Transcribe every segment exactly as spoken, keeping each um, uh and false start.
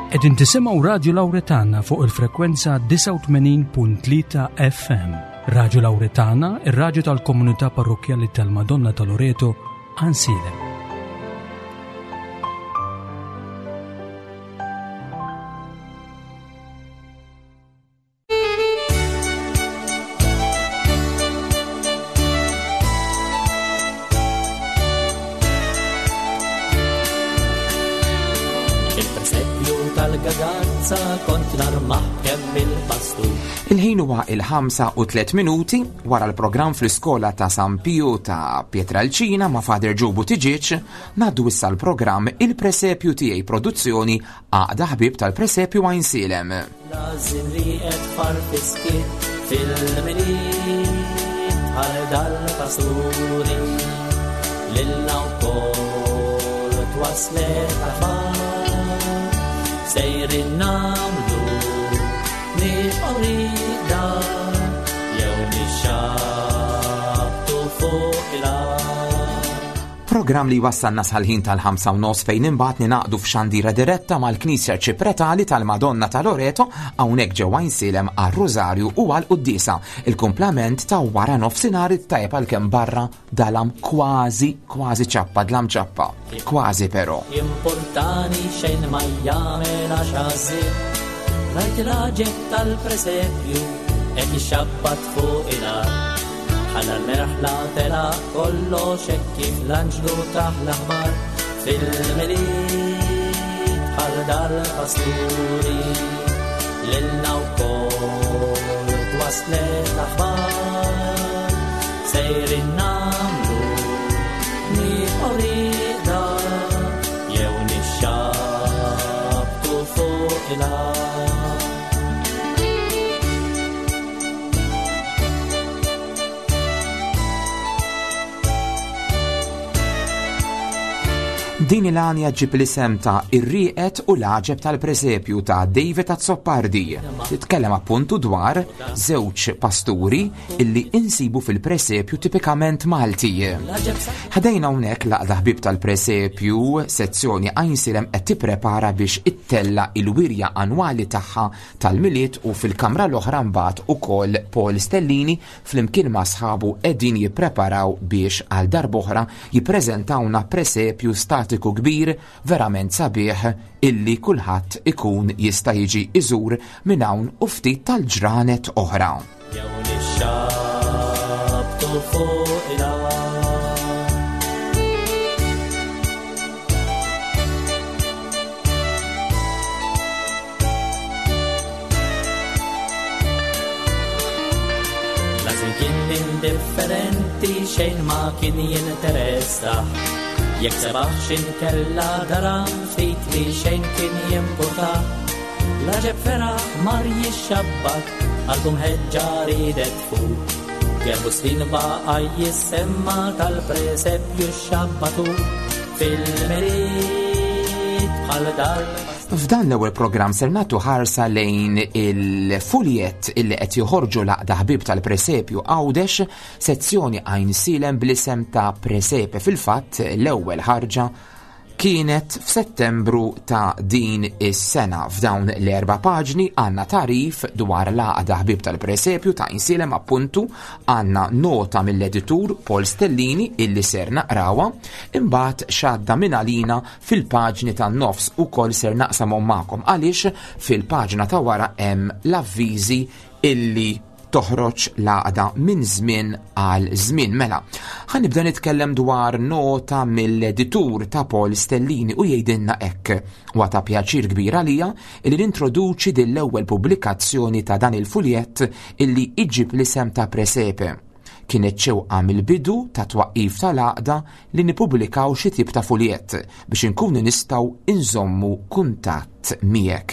Qegħdin tisimgħu Radio Lauretana fuq il-frekwenza disgħa u tmenin punt tlieta F M. Radio Lauretana, ir-radju tal-komunità parrokkjali tal-Madonna ta' Loreto, Għajnsielem. Il-presepju tal-Gagazza kont narmah kemm il-pastur. Il-ħin huwa il-ħamsa u tliet minuti wara l-programm fl-iskola ta' San Pio ta' Pietralcina ma' Father Joe Buttigieg, ngħaddu issa l-programm Il-Presepju Tiegħi, produzzjoni Għaqda Ħbieb tal-Presepju Għajnsielem. Lazim li qed farfiski fil-Milied bħal dal-pasturi lilna wkoll twaslet aħbar sejrin nagħmlu nibqgħu rieqda jew nixxabtu fuq il-art. Programm li wassalna sal-ħin tal-ħamsa u nofs, fejn imbagħad ningħaqdu f'xandira diretta mal-Knisja Arċipretali tal-Madonna ta' Loreto hawnhekk ġewwa Għajnsielem għar-Rużarju u għall-Quddiesa. Il-kumplament ta' wara nofsinhar it-tajjeb, għalkemm barra dalam kważi kważi ċappa, dlam ċappa. Kważi però. Importani xejn ma jagħmel għax għażil. Rajt il-għaġeb tal-presepju qed ixabbat fuq il-art. Ħalla l-merħla tela kollox hekk kif l-anġlu tah l-aħbar fil-Milied bħal dal-pasturi lilna wkoll twaslet l-aħbar sejrin nagħmlu nibqgħu rieqda jew nixxabtu fuq il-art. Din il-għanja ġib l-isem ta' Ir-Rieqed u l-Għaġeb tal-Presepju ta' David Azzopardi. Titkellem appuntu dwar żewġ pasturi illi insibu fil-presepju tipikament Malti. Ħdejna hawnhekk l-Għaqda Ħbieb tal-Presepju sezzjoni Għajnsielem qed tipprepara biex ittella il-wirja annwali tagħha tal-Milied, u fil-kamra l-oħra mbagħad ukoll Paul Stellini flimkien ma' sħabu qegħdin jippreparaw biex għal darb'oħra jippreżentawna presepju statiku kbir verament sabiħ illi kulħadd ikun jista' jiġi iżur minn hawn u ftit tal-ġranet oħra. Jew nixxabtu fuq il-art. Lażin kien indifferenti, xejn ma kien jinteressa. Jekk sebaħ inkella daram, ftit li xejn kien jimporta. L-għaġeb feraħ mar jixxabbat, għalkum ħeġġa ridet fuq. Gerbu snin baqa jissemma tal-presepju xabbatu fil-Milied bħal dal. F'dan l-ewwel programm ser nagħtu ħarsa lejn il-fuljet illi qed joħorġu l-Għaqda Ħbieb tal-Presepju Għawdex sezzjoni Għajnsielem bl-isem ta' Presepe. Fil-fatt l-ewwel ħarġa kienet f'Settembru ta' din is-sena. F'dawn l-erba' paġni għandna tagħrif dwar l-Għaqda Ħbieb tal-Presepju ta' Għajnsielem, appuntu għandna nota mill-editur Paul Stellini illi ser naqrawha, imbagħad x'għadda minn għalina fil-paġni tan-nofs ukoll ser naqsamhom magħkom, għaliex fil-paġna ta' wara hemm l-avviżi illi toħroġ l-għaqda minn żmien għal żmien. Mela, ħa nibda nitkellem dwar nota mill-editur ta' Paul Stellini u jgħidilna hekk: "Huwa ta' pjaċir kbir għalija illi nintroduċi din l-ewwel pubblikazzjoni ta' dan il-fuljett illi iġib l-isem ta' Presepe. Kienet xewqa mill-bidu ta' twaqqif tal-għaqda li nippubblikaw xi tip ta' fuljett biex inkunu nistgħu inżommu kuntatt miegħek.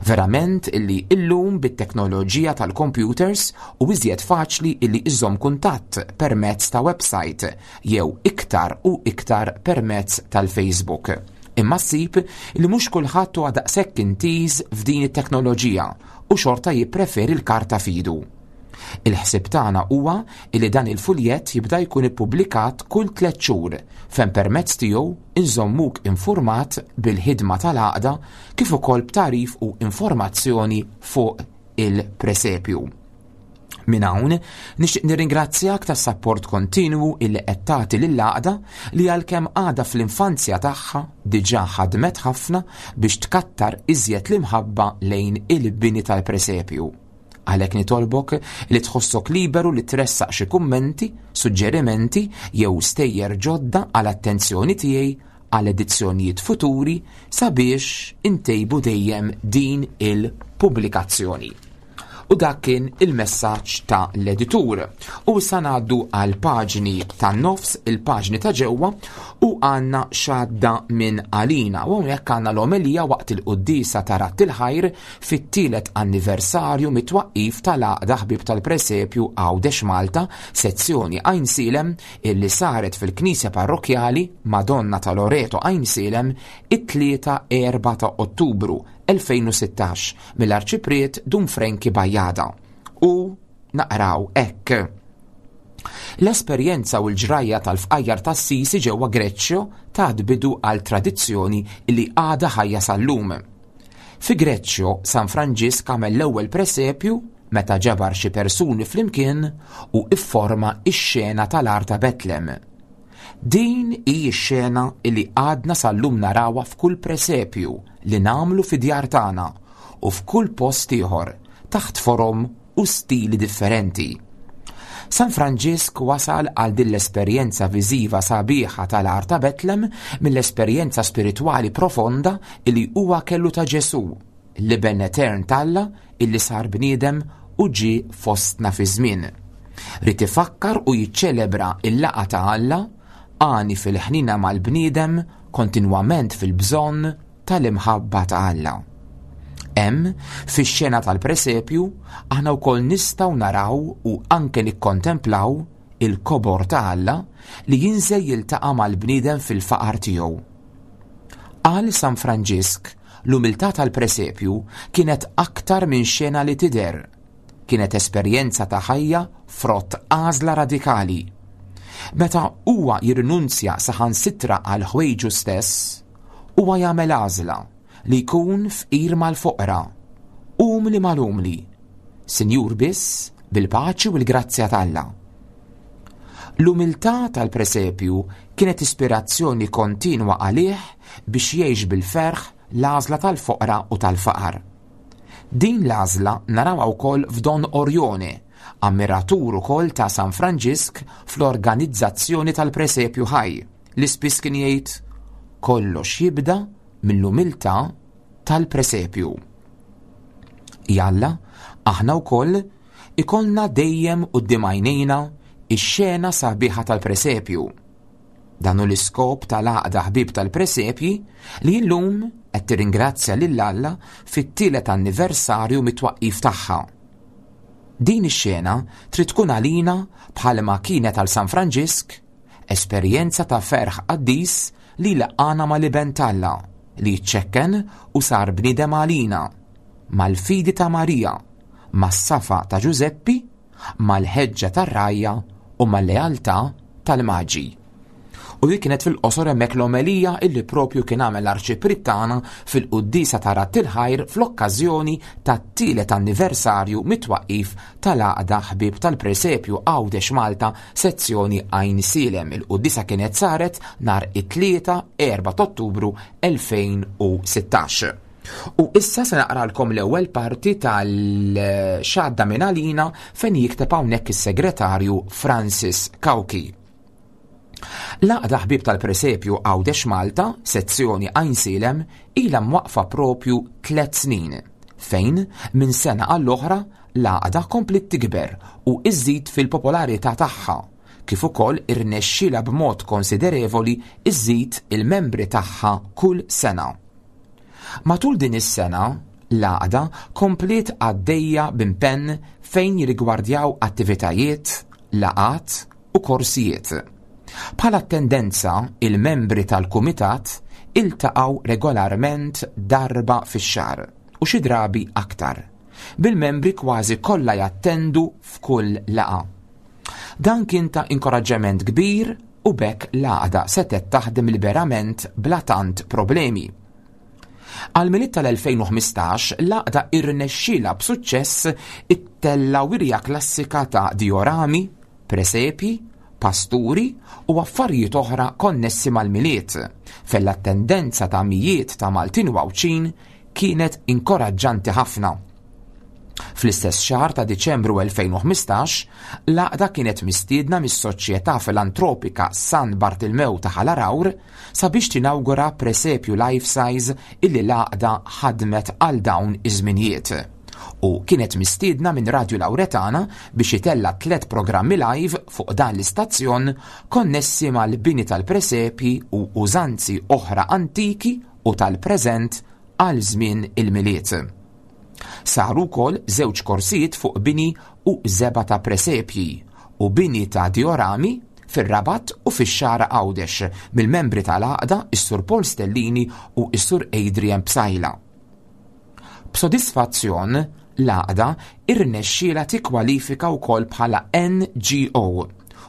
Verament illi illum bit-teknoloġija tal-computers u iżjed faċli illi iżomm kuntatt permezz ta' website jew iktar u iktar permezz tal-Facebook. Imma ssib li mhux kulħadd huwa daqshekk intiż f'din it-teknoloġija u xorta jippreferi l-karta f'idu. Il-ħsieb tagħna huwa li dan il-fuljett jibda jkun ippubblikat kull tliet xhur fejn permezz tiegħu inżommuk infurmat bil-ħidma tal-għaqda kif ukoll b'tagħrif u informazzjoni fuq il-presepju. Minn hawn nixtieq nirringrazzjak tas-sapport kontinwu illi qed tagħti lill-għaqda li għalkemm għadha fl-infanzja tagħha diġà ħadmet ħafna biex tkattar iżjed l-imħabba lejn il-bini tal-presepju. Għalhekk nitolbok li tħossok liberu li tressaq xi kummenti, suġġerimenti jew stejjer ġodda għal attenzjoni tiegħi għal edizzjonijiet futuri sabiex intejbu dejjem din il-pubblikazzjoni. U dak kien il-messaġġ ta' l-editur. U issa ngħaddu għal paġni tan-nofs, il-paġni ta' ġewwa, u għandna x'għadda minn għalina. U hawnhekk għandna l-omelija waqt il-quddiesa ta' Radd il-Ħajr fit-tielet anniversarju mit-twaqqif tal-Għaqda Ħbieb tal-Presepju Għawdex Malta, sezzjoni Għajnsielem, illi saret fil-Knisja Parrokjali Madonna ta' Loreto Għajnsielem it-tlieta erba' ta' Ottubru elfejn u sittax mill-Arċipriet Dun Frenki Bajada. U naqraw hekk. L-esperjenza u l-ġrajja tal-fqajjar tas-Sisi ġewwa Greċċjo tat bidu għal tradizzjoni li għadha ħajja sal-lum. Fi Greċċjo, San Franġisk għamel l-ewwel presepju meta ġabar xi persuni flimkien u ifforma x-xena tal-għar ta' Betlem. Din hi x-xena li għadna sal-lum narawha f'kull presepju li nagħmlu fi djar tagħna u f'kull post ieħor taħt forom u stili differenti. San Franġisk wasal għal din l-esperjenza viżiva sabiħa tal-għar ta' Betlem mill-esperjenza spiritwali profonda li huwa kellu ta' Ġesù, l-Iben Etern t'Alla illi sar bniedem u ġie fostna fi żmien. Ried ifakkar u jiċċelebra il-laqgħa ta' Alla għani fil-ħnina mal-bniedem kontinwament fil-bżonn tal-imħabba ta' Alla. Hemm, fix-xena tal-presepju, aħna wkoll nistgħu naraw u anke nikkontemplaw il-kobor ta' Alla li jinżel jiltaqa' mal-bniedem fil-faqar tiegħu. Għal San Franġisk, l-umiltà tal-presepju kienet aktar minn xena li tidher. Kienet esperjenza ta' ħajja frott għażla radikali. Meta huwa jirrinunzja saħansitra għal ħwejġu stess, huwa jagħmel għażla li jkun fqir mal-foqra, umli mal-umli, sinjur biss bil-paċi u l-grazzja t'Alla. L-umiltà tal-presepju kienet ispirazzjoni kontinwa għalih biex jgħix bil-ferħ l-għażla tal-foqra u tal-faqar. Din l-għażla narawha wkoll f'Don Orione, ammiratur ukoll ta' San Franġisk fl-organizzazzjoni tal-presepju ħaj, li spiss kien jgħid kollox jibda mill-umiltà tal-presepju. Jalla, aħna wkoll ikollna dejjem quddiem għajnejna ix-xena sabiħa tal-presepju. Dan hu l-iskop tal-Għaqda Ħbieb tal-Presepji li llum qed tirringrazzja lil Alla fit-tielet anniversarju mit-twaqqif tagħha. Din ix-xena trid tkun għalina bħalma kienet għal San Franġisk, esperjenza ta' ferħ qaddis li laqana mal-Iben t'Alla li ċċekken u sar bniedem għalina, mal-fidi ta' Marija, mas-safa ta' Ġużeppi, mal-ħeġġa tar-rgħajja u mal-lealtà tal-Maġi. U dik kienet fil-qosor hemmhekk l-omelija illi propju kien għamel l-Arċipriet tagħna fil-quddiesa ta' Radd il-Ħajr fl-okkażjoni tat-tielet anniversarju mit-twaqqif tal-Għaqda Ħbieb tal-Presepju Għawdex Malta sezzjoni Għajnsielem. Il-quddiesa kienet saret nhar it-tlieta erba' ta' Ottubru elfejn u sittax. U issa se naqralkom l-ewwel parti tal-xadda minn għalina fejn jikteb hawnhekk is-segretarju Francis Cauchi. L-Għaqda Ħbieb tal-Presepju Għawdex Malta, sezzjoni Għajnsielem, ilha mwaqfa propju tliet snin, fejn minn sena għall-oħra l-għaqda kompliet tikber u iżżid fil-popolarità tagħha, kif ukoll irnexxielha b'mod konsiderevoli iżżid il-membri tagħha kull sena. Matul din is-sena, l-għaqda kompliet għaddejja b'impenn fejn jirrigwardjaw attivitajiet, laqgħat u korsijiet. Bħala tendenza, il-membri tal-kumitat iltaqgħu regolarment darba fix-xahar u xi drabi aktar, bil-membri kważi kollha jattendu f'kull laqgħa. Dan kien ta' inkoraġġament kbir u b'hekk l-għaqda setgħet taħdem liberament bla tant problemi. Għal-Milied tal-elfejn u ħmistax, l-għaqda irnexxielha b'suċċess ittella wirja klassika ta' diorami, presepji, pasturi u affarijiet oħra konnessi mal-Milied, fejn l-attendenza ta' mijiet ta' Maltin u Għawdxin kienet inkoraġġanti ħafna. Fl-istess xahar ta' Diċembru elfejn u ħmistax, l-għaqda kienet mistiedna mis-Soċjetà Filantropika San Bartilmew ta' Ħal Għargħur sabiex tinawgura presepju life size illi l-għaqda ħadmet għal dawn iż-żminijiet. U kienet mistiedna minn Radio Lauretana biex itella tliet programmi live fuq dan l-istazzjon konnessi mal-bini tal-presepji u użanzi oħra antiki u tal-preżent għal żmien il-Milied. Saru wkoll żewġ korsijiet fuq bini u żebgħa ta' presepji u bini ta' diorami fir-Rabat u fix-Xagħra Għawdex mill-membri tal-għaqda is-Sur Paul Stellini u s-Sur Adrian Psaila. B'sodisfazzjon, l-għaqda irnexxielha tikkwalifika wkoll bħala N G O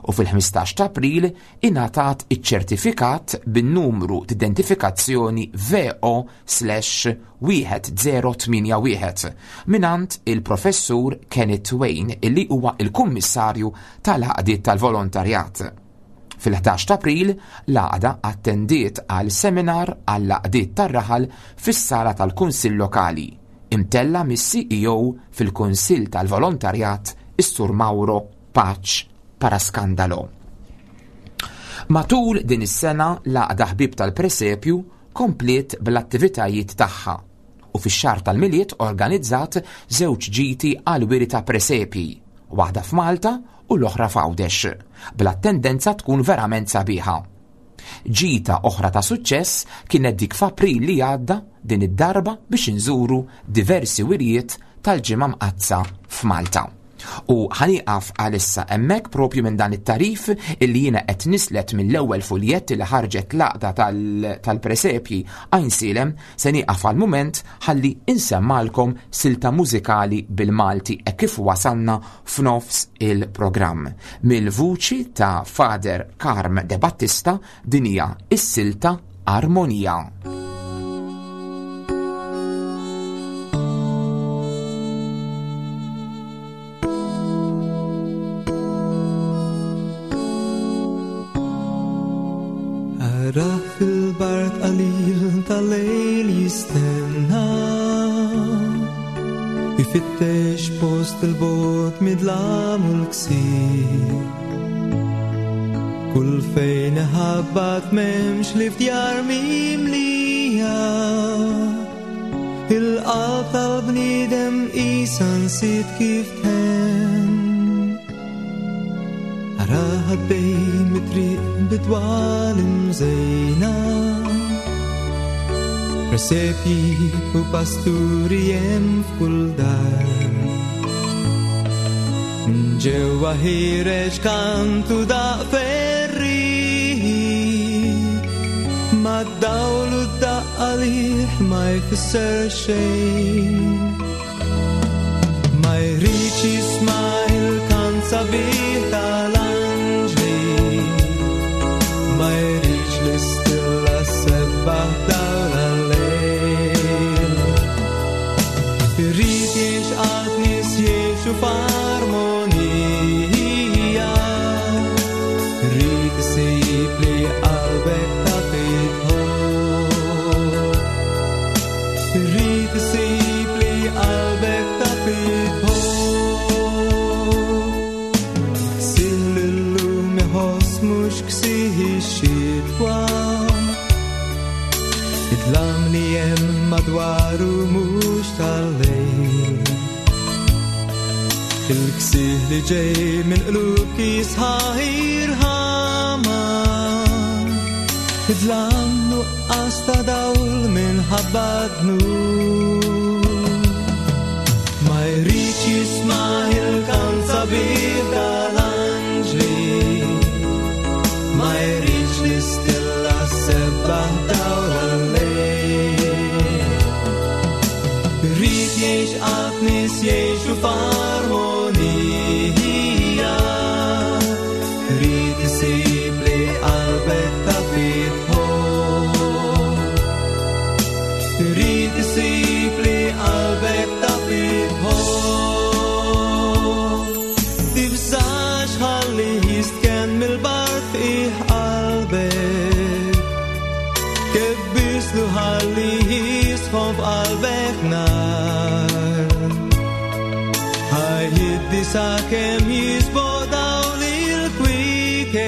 u fil-ħmistax ta' April ingħatat iċ-ċertifikat bin-numru t'identifikazzjoni V O slash wieħed zero tmienja wieħed mingħand il-Professur Kenneth Wayne illi huwa il-Kummissarju tal-Għaqdiet tal-Volontarjat. Fil-ħdax ta' April, l-għaqda attendiet għal seminar għall-għaqdiet tar-raħal fis-sala tal-Kunsill Lokali, imtella mis-C E O fil-Kunsill tal-Volontarjat is-Sur Mauro Pace Parascandalo. Matul din is-sena l-għaqda ħbieb tal-presepju kompliet bl-attivitajiet tagħha u fix-xahar tal-Milied organizzat żewġ ġiti għal wiri ta' presepji, waħda f'Malta u l-oħra f'Għawdex, bl-attendenza tkun verament sabiħa. Ġita oħra ta' suċċess kienet dik f'April li għadda din id-darba biex inżuru diversi wirjiet tal-Ġimgħa Mqaddsa f'Malta. U ħaniqaf għalissa hemmhekk propju minn dan it-tarif illi jiena qed nislet mill-ewwel fuljett li ħarġet l-għaqda tal-, tal-presepji Għajnsielem, se nieqaf għal mument ħalli insemmalkom silta mużikali bil-Malti e kif wasalna f'nofs il-programm. Mill-vuċi ta' Father Karm De Battista din hija is-silta Armonija. Ara fil-bard qalil tal-lejl jistenna, ifittex post il-bot midlam u l-ksir. Kull fejn iħabbat m'hemmx li fdjar mimlija, il-qalb tal-bniedem qisha nsiet kif tħenn. Ara ħaddej mit-triq bidwal imżejna, presepji u pasturi hemm f'kull dar. Minn ġewwa ħiereġ kantu daq ferriħi, mad-dawl u d-daqq għalih ma jfisser xejn. Ma jridx jisma' il-kant sabiħ tal-anġli, ma jridx l-istilla sebbaħ dawl għal-lejl. Irrid jgħix qalb nies jgħixu f'armonija, irrid isib li qalbek taf idħol. Irrid isib li qalbek taf idħol. Ksih l-lum iħoss mhux ksih ix-xitwa, id-dlam li hemm madwaru mhux tal-lejl. Il-ksih li ġej minn qlub kisħaħ irħama, id-dlam nuqqas ta' dawl minħabba dnub. Ma jridx jisma' il-kant sabiħ tal-anġli, ma jridx l-istilla sebbaħ dawl għal-lejl. Irrid jgħix qalb nies Kebbislu ħalli jisħon f'qalbek nar. Ħajjiddi sakemm jisboq dawl il-kwiekeb.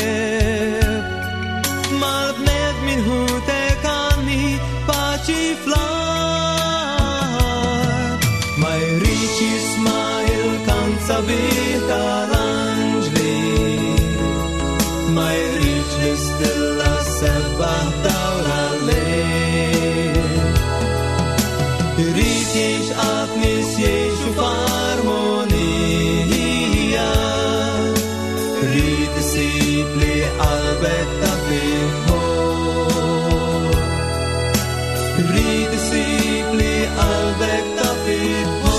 Mal-bnedmin ħutek għanni paċi fl-art. Ma jridx jisma' il-kant sabiħ tal-anġli. Ma jridx l-istilla sebbaħ dawl għal-lejl. Irid jgħix qatt nies jgħixu f'armonija. Irid isib li qalbek taf ħobb. Irid isib li qalbek taf ħobb.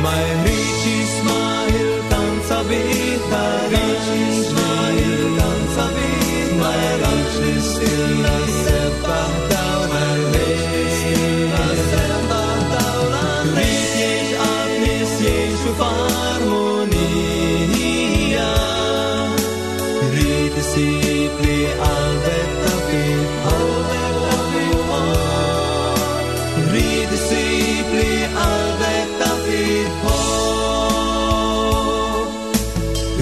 Ma jridx jisma' il-kant sabiħ tal-anġli. Il-kant sabiħ, ma jridx l-istilla sebbaħ dawl għal-lejl. Irid jgħix qatt nies jgħixu f'armonija. Irid isib li qalbek taf ħobb. Irid isib li qalbek taf ħobb.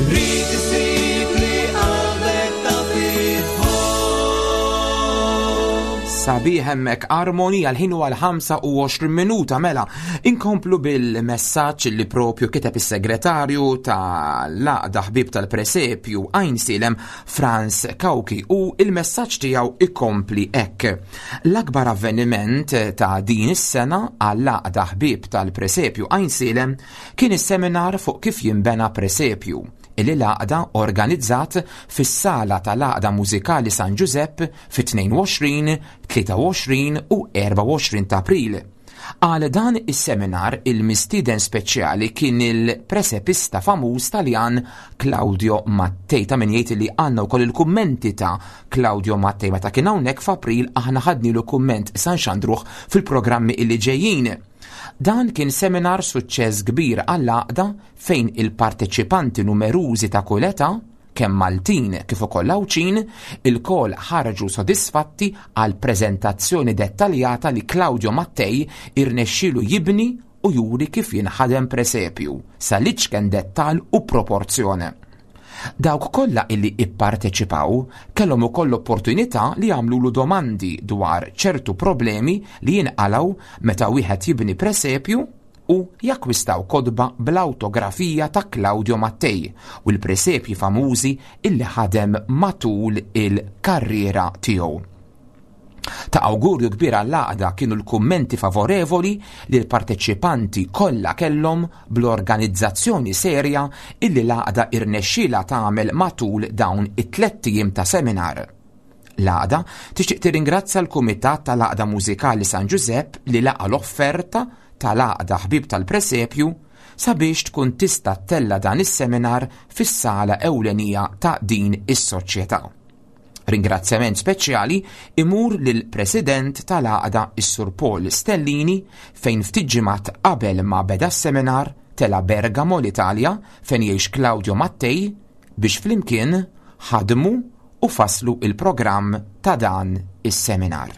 Irid isib li qalbek taf ħobb. Sabiħ hemmhekk armonija, l-ħin huwa l-ħamsa u għoxrin minuta mela. Inkomplu bil-messaġġ li propju kiteb is-segretarju tal-Għaqda Ħbieb tal-Presepju Għajnsielem, Franz Kauki, u il-messaġġ tiegħu ikompli hekk. L-akbar avveniment ta' din is-sena għall-Għaqda Ħbieb tal-Presepju Għajnsielem kien is-seminar fuq kif jinbena presepju illi l-għaqda organizzat fis-sala tal-Għaqda Mużikali San Giuseppe fit-tnejn u għoxrin, tlieta u għoxrin u erbgħa u għoxrin ta' April. Għal dan is-seminar il-mistieden speċjali kien il-presepista famuż Taljan Claudio Mattei. Ta' min jgħid li għandna wkoll il-kummenti ta' Claudio Mattei meta kien hawnhekk f'April, aħna ħadnilu kumment sa nxandruh fil-programmi illi ġejjin. Dan kien seminar suċċess kbir għall-għaqda fejn il-parteċipanti numerużi ta' kull età, kemm Maltin kif ukoll Għawdxin, ilkoll ħarġu sodisfatti għal preżentazzjoni dettaljata li Claudio Mattei irnexxielu jibni u juri kif jinħadem presepju sal-iċken dettal u proporzjoni. Dawk kollha illi ipparteċipaw kellhom ukoll l-opportunità li jagħmlulu domandi dwar ċertu problemi li jinqalgħu meta wieħed jibni presepju u jakkwistaw kotba bl-autografija ta' Claudio Mattei u l-presepji famużi illi ħadem matul il-karriera tiegħu. Ta' awgurju kbir għall-għaqda kienu l-kummenti favorevoli li l-parteċipanti kollha kellhom bl-organizzazzjoni serja illi l-għaqda irnexxiela tagħmel matul dawn it-tlett ijiem ta' seminar. L-għaqda tixtieq tirringrazzja l-Kumitat tal-Għaqda Mużikali San Giuseppe li laqa l-offerta tal-Għaqda Ħbieb tal-Presepju sabiex tkun tista' ttella' dan is-seminar fis-sala ewlenija ta' din is-soċjetà. Ringrazzjament speċjali imur lill-President tal-Għaqda, is-Sur Paul Stellini, fejn ftit ġimgħat qabel ma beda s-seminar tela Bergamo, l-Italja, fejn jgħix Claudio Mattei, biex flimkien ħadmu u faslu il-programm ta' dan is-seminar.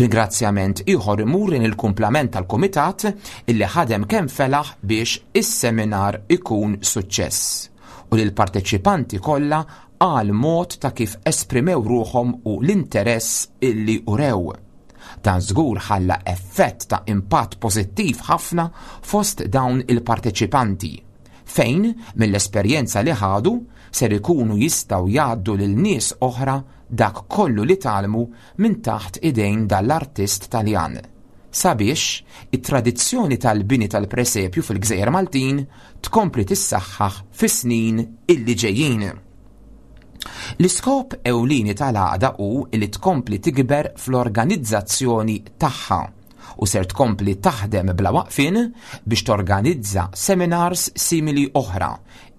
Ringrazzjament ieħor imur lejn il-kumplament tal-kumitat illi ħadem kemm felaħ biex is-seminar ikun suċċess u lil parteċipanti kollha għal mod ta' kif esprimew ruħhom u l-interess illi urew. Dan żgur ħalla effett ta' impatt pożittiv ħafna fost dawn il-parteċipanti, fejn mill-esperjenza li ħadu ser ikunu jistgħu jgħaddu lil nies oħra dak kollu li tgħallmu minn taħt idejn dal-artist Taljan, sabiex it-tradizzjoni tal-bini tal-presepju fil-Gżejjer Maltin tkompli tissaħħaħ fis-snin illi ġejjin. L-iskop ewlieni tal-għaqda hu li tkompli tikber fl-organizzazzjoni tagħha u ser tkompli taħdem bla waqfin biex torganizza seminars simili oħra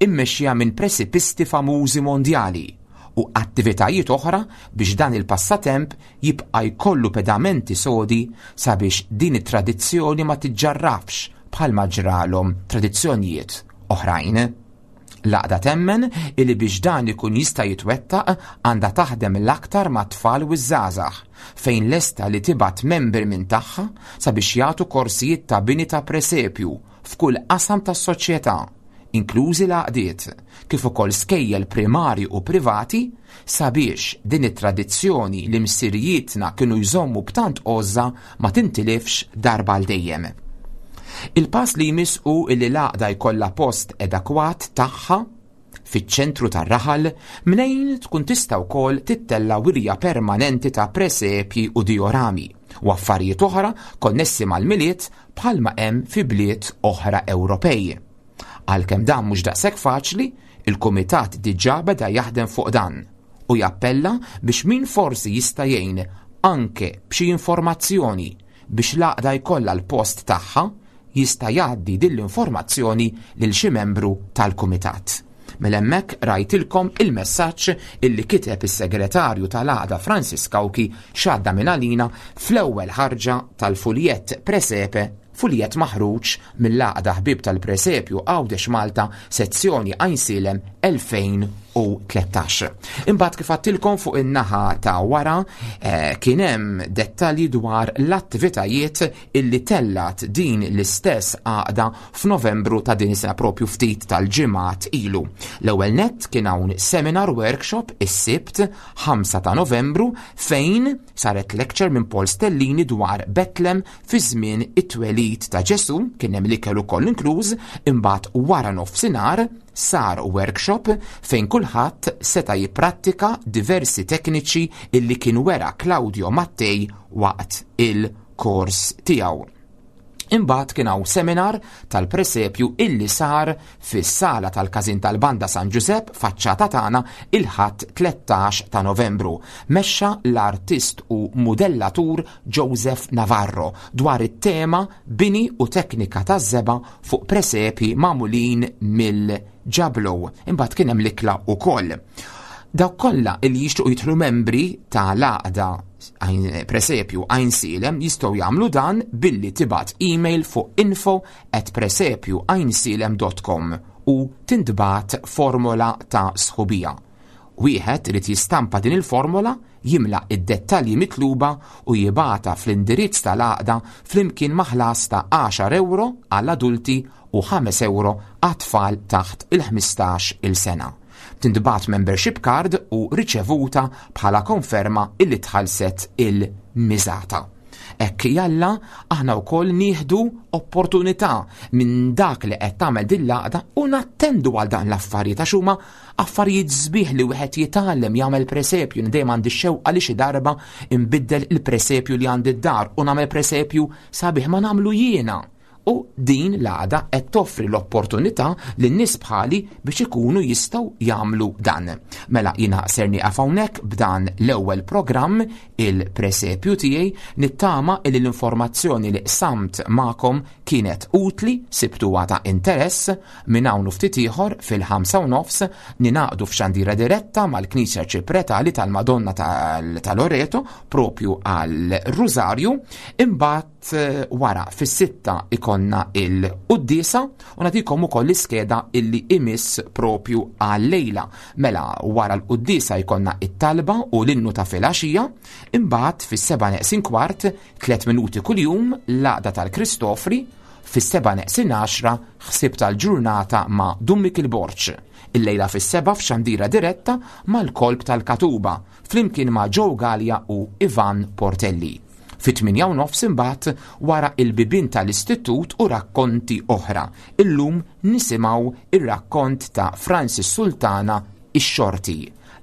immexxija minn presipisti famużi mondjali u attivitajiet oħra biex dan il-passatemp jibqa' jkollu pedamenti sodi sabiex din it-tradizzjoni ma tiġġarrafx bħalma ġralhom tradizzjonijiet oħrajn. L-għaqda temmen illi biex dan ikun jista' jitwettaq għandha taħdem l-aktar ma' tfal u żgħażagħ, fejn lesta li tibgħat membri minn tagħha sabiex jagħtu korsijiet ta' bini ta' presepju f'kull qasam tas-soċjetà, inklużi l-għaqdiet, kif ukoll skejjel primari u privati, sabiex din it-tradizzjoni li missirijietna kienu jżommu b'tant għożża ma tintilifx darba għal dejjem. Il-pass li jmiss hu illi l-għaqda jkollha post adekwat tagħha fiċ-ċentru tar-raħal mnejn tkun tista' wkoll tittella' wirja permanenti ta' presepji u diorami u affarijiet oħra konnessi mal-Milied bħalma hemm fi bliet oħra Ewropej. Għalkemm dan mhux daqshekk faċli, il-kumitat diġà beda jaħdem fuq dan u jappella biex min forsi jista' jgħin anke b'xi informazzjoni biex l-għaqda jkollha l-post tagħha, jista' jgħaddi din l-informazzjoni lil xi membru tal-kumitat. Mela hemmhekk rajtilkom il-messaġġ illi kiteb is-segretarju tal-għaqda Francis Cauchi x'għadda minn għalina fl-ewwel ħarġa tal-fuljett Presepe, fuljett maħruġ mill-Għaqda Ħbieb tal-Presepju Għawdex Malta, sezzjoni Għajnsielem elfejn u tlettax. Imbagħad kif għattilkom fuq in-naħa ta' wara, eh, kien hemm dettalji dwar l-attivitajiet illi tellat din l-istess għaqda f'Novembru ta' din is-sena, propju ftit tal-ġimgħat ilu. L-ewwel nett kien hawn seminar workshop is-Sibt ħamsa ta' Novembru fejn saret lecture minn Paul Stellini dwar Betlem fi żmien it-twelid ta' Ġesu, kien hemm l-ikel ukoll inkluż. Imbagħad wara nofsinhar sar workshop fejn kulħadd seta' jipprattika diversi tekniċi illi kien wera Claudio Mattei waqt il-kors tiegħu. Imbagħad kien hawn seminar tal-presepju illi sar fis-sala tal-Każin tal-Banda San Giuseppe faċċata tagħna il-Ħadd tlettax ta' Novembru. Mexxa l-artist u modellatur Joseph Navarro dwar it-tema bini u teknika taż-żebgħa fuq presepji magħmulin mill-ġablow. Imbagħad kien hemm l-ikla wkoll. Dawk kollha illi jixtiequ jidħlu membri ta' l-għaqda Presepju Għajnsielem jistgħu jagħmlu dan billi tibgħat email fuq info at presepju għajnsielem dot com u tintbagħat formola ta' sħubija. Wieħed irid jistampa din il-formola, jimla id-dettalji mitluba u jibgħatha fl-indirizz tal-għaqda flimkien ma' ħlas ta' għaxar euro għall-adulti u ħames euro għat-tfal taħt il-ħmistax il-sena. Tintbagħat membership card u riċevuta bħala konferma illi tħallset il-miżata. Hekk jalla aħna wkoll nieħdu opportunità minn dak li qed tagħmel din l-għaqda u nattendu għal dan l-affarijiet għax huma affarijiet sbieħ li wieħed jitgħallem jagħmel presepju. Dejjem għandi x-xewqa li xi darba nbiddel il-presepju li għandi d-dar u nagħmel presepju sabiħ ma nagħmlu jiena. U din l-għaqda qed toffri l-opportunità lin nies bħali biex ikunu jistgħu jagħmlu dan. Mela jiena ser nieqaf hawnhekk b'dan l-ewwel programm il-presepju tiegħi, nittama li l-informazzjoni li qsamt magħkom kienet utli, sibtuha ta' interess. Minn hawn u ftit ieħor fil-ħamsa u nofs ninaqdu f'xandira diretta mal-Knisja Ċipretali tal-Madonna tal-, tal-Loreto propju għal-Rużarju. Imbagħad, eh, wara fis-sitta ikonna il-quddiesa u nagħtikom ukoll l-iskeda illi imiss propju għal-lejla. Mela wara l-quddiesa jkollna it-talba u l-innu ta' filgħaxija, imbagħad fis-seba' neqsin kwart, tliet minuti kuljum, l-għaqda tal-Kristofri, fis-seba' neqsin għaxra ħsieb tal-ġurnata ma' Dun Mikiel Borg. Il-lejla fis-seba' f'xandira diretta mal-Kolb tal-Katuba, flimkien ma' Joe Gallia u Ivan Portelli. Fit-tmienja u nofs imbagħad wara il-bibien tal-istitut u rakkonti oħra. Illum nisimgħu ir-rakkont ta' Francis Sultana Ix-Xorti.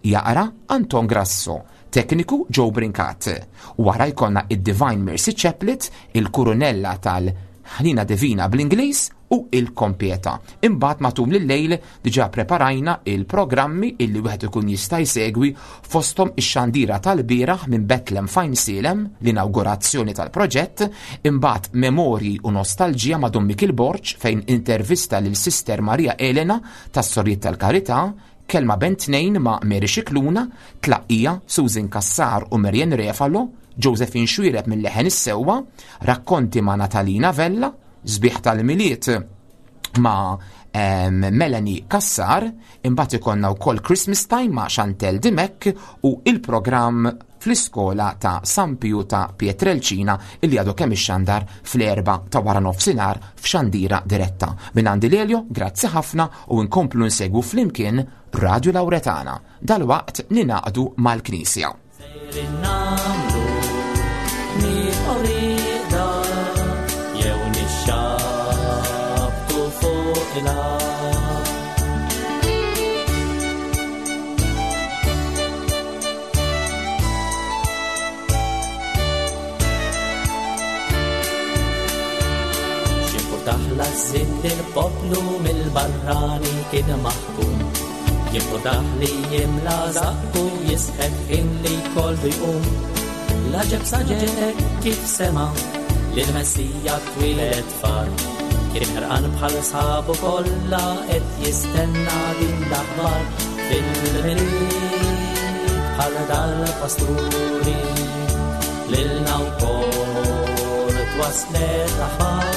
Jaqra Anton Grasso, tekniku Joe Brincat. Wara jkollna id-Divine Mercy Chaplet, il-Kurunella tal-Ħnina Divina bl-Ingliż u il-Kompieta. Imbagħad matul il-lejl diġà preparajna il-programmi illi wieħed ikun jista' jsegwi, fosthom ix-xandira tal-bieraħ minn Bethlehem f'Għajnsielem, l-inawgurazzjoni tal-proġett, imbagħad Memorji u Nostalġija ma' Dun Mikiel Borg fejn intervista lil Sister Maria Elena tas-Sorijiet tal-Karità, Kelma bejn tnejn ma' Mary Scicluna, Tlaqqija Susan Cassar u Marian Refalo, Josephine Xuereb minn Leħen is-Sewwa, Rakkonti ma' Natalina Vella, Sbieħ tal-Milied ma' Melanie Kassar, imbagħad ikollna wkoll Christmas Time ma' Chantel Dimek u il-programm fl-iskola ta' San Piju ta' Pietrelcina illi għadu kemm ixxandar fl-erba ta' wara nofsinhar f'xandira diretta. Minn għandi Lelio, grazzi ħafna u nkomplu nsegwu flimkien Radio Lauretana. Dalwaqt ninaqdu mal-Knisja. Sejrin nagħmlu nibqgħu rieqda jew nixxabtu fuq il-art. X'importah l-għażżien li l-poplu mill-barrani kien maħkum, jimportah li jimla żaqqu jisħet ħin li jkollu jqum. L-għaġeb saġek kif sema' li l-Messija twieled far, kien ħerqan bħal sħabu kollha qed jistenna din l-aħbar. Fil-milied bħal dal-pasturi lilna wkoll twaslet l-aħbar.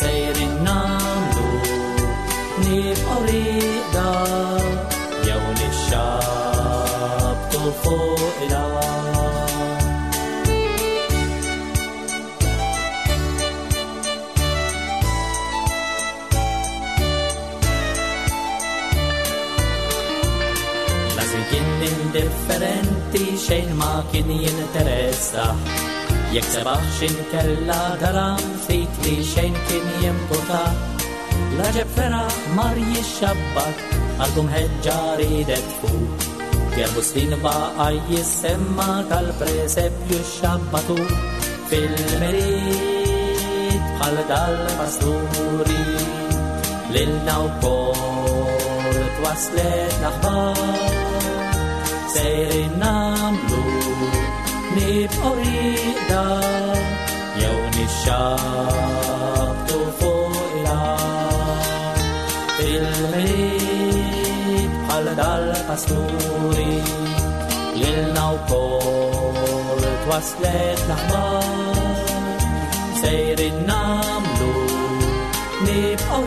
Sejrin nagħmlu nibqgħu rieqda jew nixxabtu fuq il-art. L-għażil kien indifferenti xejn ma kien jinteressa, jekk sebaħ x'inkella dalam ftit li xejn kien jimporta. L-għaġeb feraħ mar jixxabbat għalkum ħeġġa ridet fuq, Gerbu snin baqa' jissemma tal-presepju xabbatu. Fil-milied bħal dal-pasturi lilna wkoll twaslet l-aħbar. Sejrin nagħmlu nibqgħu rieqda jew nixxabtu fuq il-art. Fil-milied bħal dal-pasturi lilna wkoll twaslet l-aħbar. Sejrin nagħmlu nibqgħu